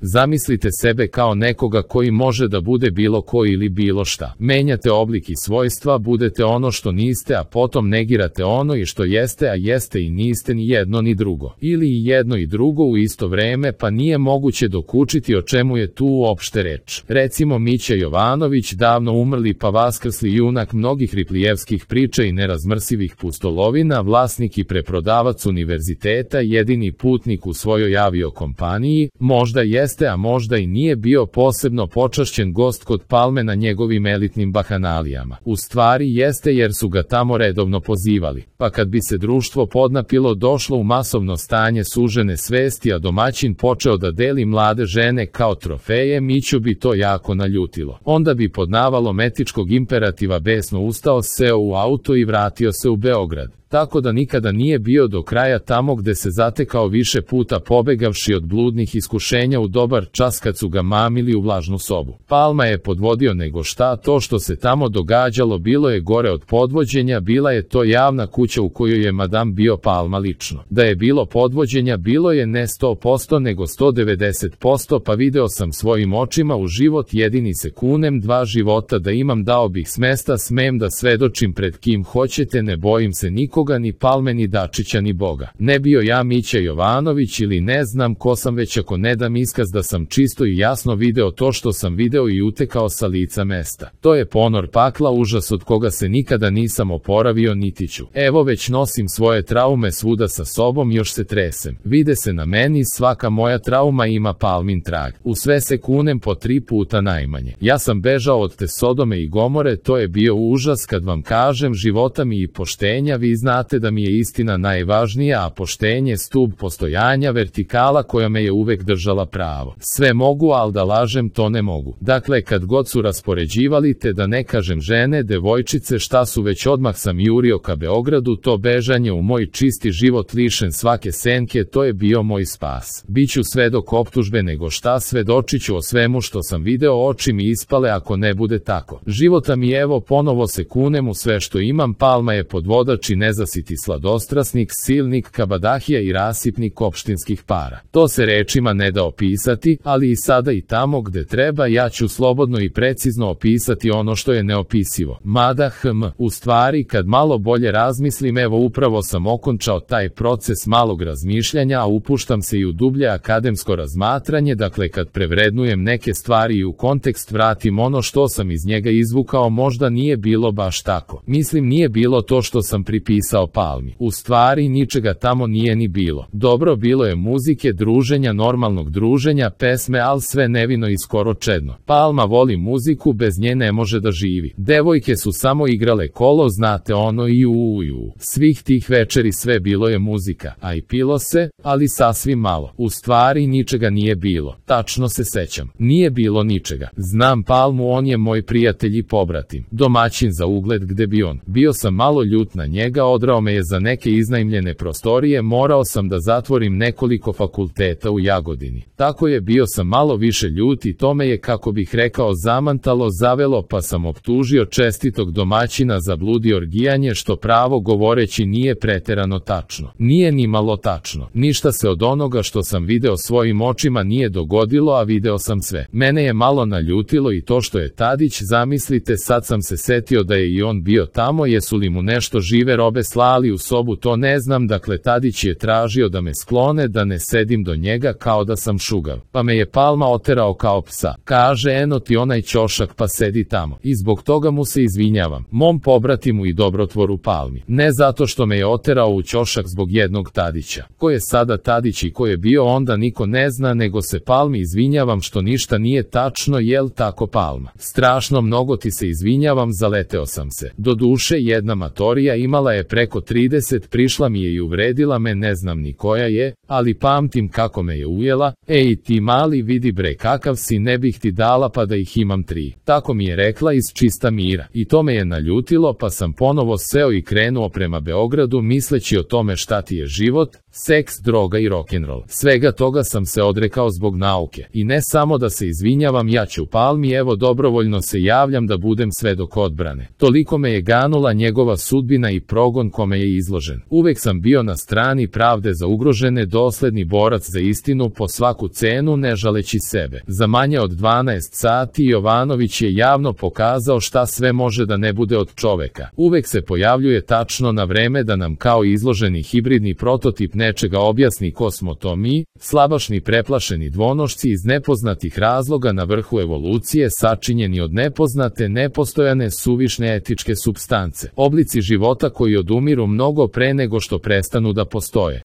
Zamislite sebe kao nekoga koji može da bude bilo ko ili bilo šta. Menjate oblik i svojstva, budete ono što niste, a potom negirate ono i što jeste, a jeste i niste ni jedno ni drugo. Ili i jedno i drugo u isto vreme, pa nije moguće dokučiti o čemu je tu uopšte reč. Recimo Mića Jovanović, davno umrli pa vaskrsli junak mnogih Riplijevskih priča i nerazmrsivih pustolovina, vlasnik i preprodavac univerziteta, jedini putnik u svojoj aviokompaniji, možda jeste, a možda i nije bio posebno počašćen gost kod Palme na njegovim elitnim bahanalijama. U stvari jeste jer su ga tamo redovno pozivali. Pa kad bi se društvo podnapilo, došlo u masovno stanje sužene svesti, a domaćin počeo da deli mlade žene kao trofeje, Miću bi to jako naljutilo. Onda bi pod navalom etičkog imperativa besno ustao, seo u auto i vratio se u Beograd. Tako da nikada nije bio do kraja tamo gde se zatekao, više puta pobegavši od bludnih iskušenja u dobar čas kad su ga mamili u vlažnu sobu. Palma je podvodio nego šta, to što se tamo događalo bilo je gore od podvođenja, bila je to javna kuća u kojoj je madam bio Palma lično. Da je bilo podvođenja, bilo je ne 100% nego 190%, pa video sam svojim očima u život, jedini se kunem, 2 života da imam, dao bih smesta, smem da svedočim pred kim hoćete, ne bojim se nikoga, ni Palme, ni Dačića, ni Boga. Ne bio ja Mića Jovanović ili ne znam ko sam, već ako ne dam iskaz da sam čisto i jasno video to što sam video i utekao sa lica mesta. To je ponor pakla, užas od koga se nikada nisam oporavio niti ću. Evo već nosim svoje traume svuda sa sobom, još se tresem. Vide se na meni, svaka moja trauma ima Palmin trag. U sve se kunem po 3 puta najmanje. Ja sam bežao od te Sodome i Gomore, to je bio užas, kad vam kažem, života mi i poštenja, vi znate da mi je istina najvažnija, a poštenje stub postojanja, vertikala koja me je uvek držala pravo. Sve mogu, ali da lažem to ne mogu. Dakle, kad god su raspoređivali te, da ne kažem žene, devojčice, šta su već, odmah sam jurio ka Beogradu, to bežanje u moj čisti život lišen svake senke, to je bio moj spas. Biću svedok optužbe nego šta, svedočiću o svemu što sam video, oči mi ispale ako ne bude tako. Života mi evo, ponovo se kunem u sve što imam, Palma je podvodač i nezasiti sladostrasnik, silnik, kabadahija i rasipnik opštinskih para. To se rečima ne da opisati, ali i sada i tamo gde treba ja ću slobodno i precizno opisati ono što je neopisivo. Mada u stvari kad malo bolje razmislim, evo upravo sam okončao taj proces malog razmišljanja, a upuštam se i u dublje akademsko razmatranje, dakle kad prevrednujem neke stvari i u kontekst vratim ono što sam iz njega izvukao, možda nije bilo baš tako. Mislim, nije bilo to što sam pripisao Palmi. U stvari ničega tamo nije ni bilo. Dobro, bilo je muzike, druženja, normalnog druženja, pesme, al sve nevino i skoro čedno. Palma voli muziku, bez nje ne može da živi. Devojke su samo igrale kolo, znate ono i uju. Svih tih večeri sve bilo je muzika, a i pilo se, ali sasvim malo. U stvari ničega nije bilo. Tačno se sećam. Nije bilo ničega. Znam Palmu, on je moj prijatelj i pobratim. Domaćin za ugled gde bi on. Bio sam malo ljut na njega, odrao me je za neke iznajmljene prostorije, morao sam da zatvorim nekoliko fakulteta u Jagodini. Tako je, bio sam malo više ljut i to me je, kako bih rekao, zamantalo, zavelo, pa sam optužio čestitog domaćina za blud i orgijanje, što pravo govoreći nije preterano tačno. Nije ni malo tačno. Ništa se od onoga što sam video svojim očima nije dogodilo, a video sam sve. Mene je malo naljutilo i to što je Tadić, zamislite, sad sam se setio da je i on bio tamo, jesu li mu nešto žive robe slali u sobu, to ne znam, dakle Tadić je tražio da me sklone, da ne sedim do njega kao da sam šugav, pa me je Palma oterao kao psa. Kaže, eno ti onaj ćošak, pa sedi tamo. I zbog toga mu se izvinjavam, mom pobratimu i dobrotvoru Palmi. Ne zato što me je oterao u ćošak zbog jednog Tadića. Ko je sada Tadić i ko je bio onda niko ne zna, nego se Palmi izvinjavam što ništa nije tačno, jel tako Palma? Strašno mnogo ti se izvinjavam, zaleteo sam se. Do duše, jedna matorija imala je preko 30, prišla mi je i uvredila me, ne znam ni koja je, ali pamtim kako me je ujela. Ej ti mali, vidi bre kakav si, ne bih ti dala pa da ih imam 3. Tako mi je rekla iz čista mira. I to me je naljutilo, pa sam ponovo seo i krenuo prema Beogradu misleći o tome šta ti je život, seks, droga i rock'n'roll. Svega toga sam se odrekao zbog nauke. I ne samo da se izvinjavam, ja ću Palmi, evo dobrovoljno se javljam da budem svedok odbrane. Toliko me je ganula njegova sudbina i progon progon kome je izložen. Uvek sam bio na strani pravde za ugrožene, dosledni borac za istinu po svaku cenu, ne žaleći sebe. Za manje od 12 sati Jovanović je javno pokazao šta sve može da ne bude od čoveka. Uvek se pojavljuje tačno na vreme da nam kao izloženi hibridni prototip nečega objasni ko smo to mi, slabašni preplašeni dvonošci iz nepoznatih razloga na vrhu evolucije, sačinjeni od nepoznate, nepostojane, suvišne etičke supstance, oblici života koji odumiru mnogo pre nego što prestanu da postoje.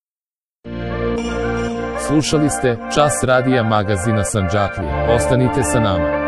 Slušali ste Čas radija magazina Sandžaklija. Ostanite sa nama.